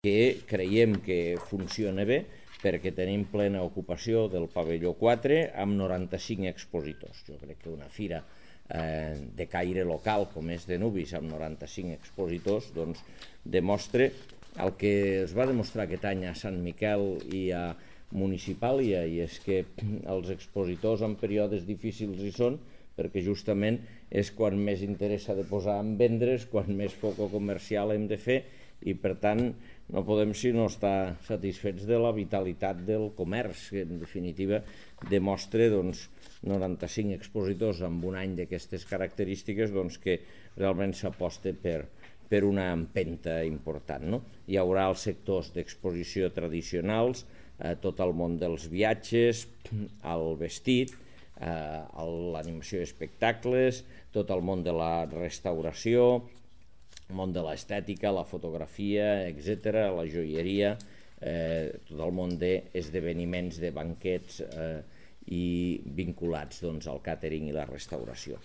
que creiem que funciona bé perquè tenim plena ocupació del pavelló 4 amb 95 expositors. Jo crec que una fira de caire local com és de Nubis amb 95 expositors doncs demostra el que es va demostrar aquest any a Sant Miquel i a Municipàlia, i és que els expositors en períodes difícils hi són perquè justament és quan més interès s'ha de posar en vendre's, quan més foco comercial hem de fer, i per tant no podem sinó estar satisfets de la vitalitat del comerç, que en definitiva demostra 95 expositors en un any d'aquestes característiques que realment s'aposta per una empenta important. Hi haurà els sectors d'exposició tradicionals, tot el món dels viatges, el vestit, l'animació i espectacles, tot el món de la restauració, el món de l'estètica, la fotografia, etc., la joieria, tot el món d'esdeveniments, de banquets i vinculats al càtering i la restauració.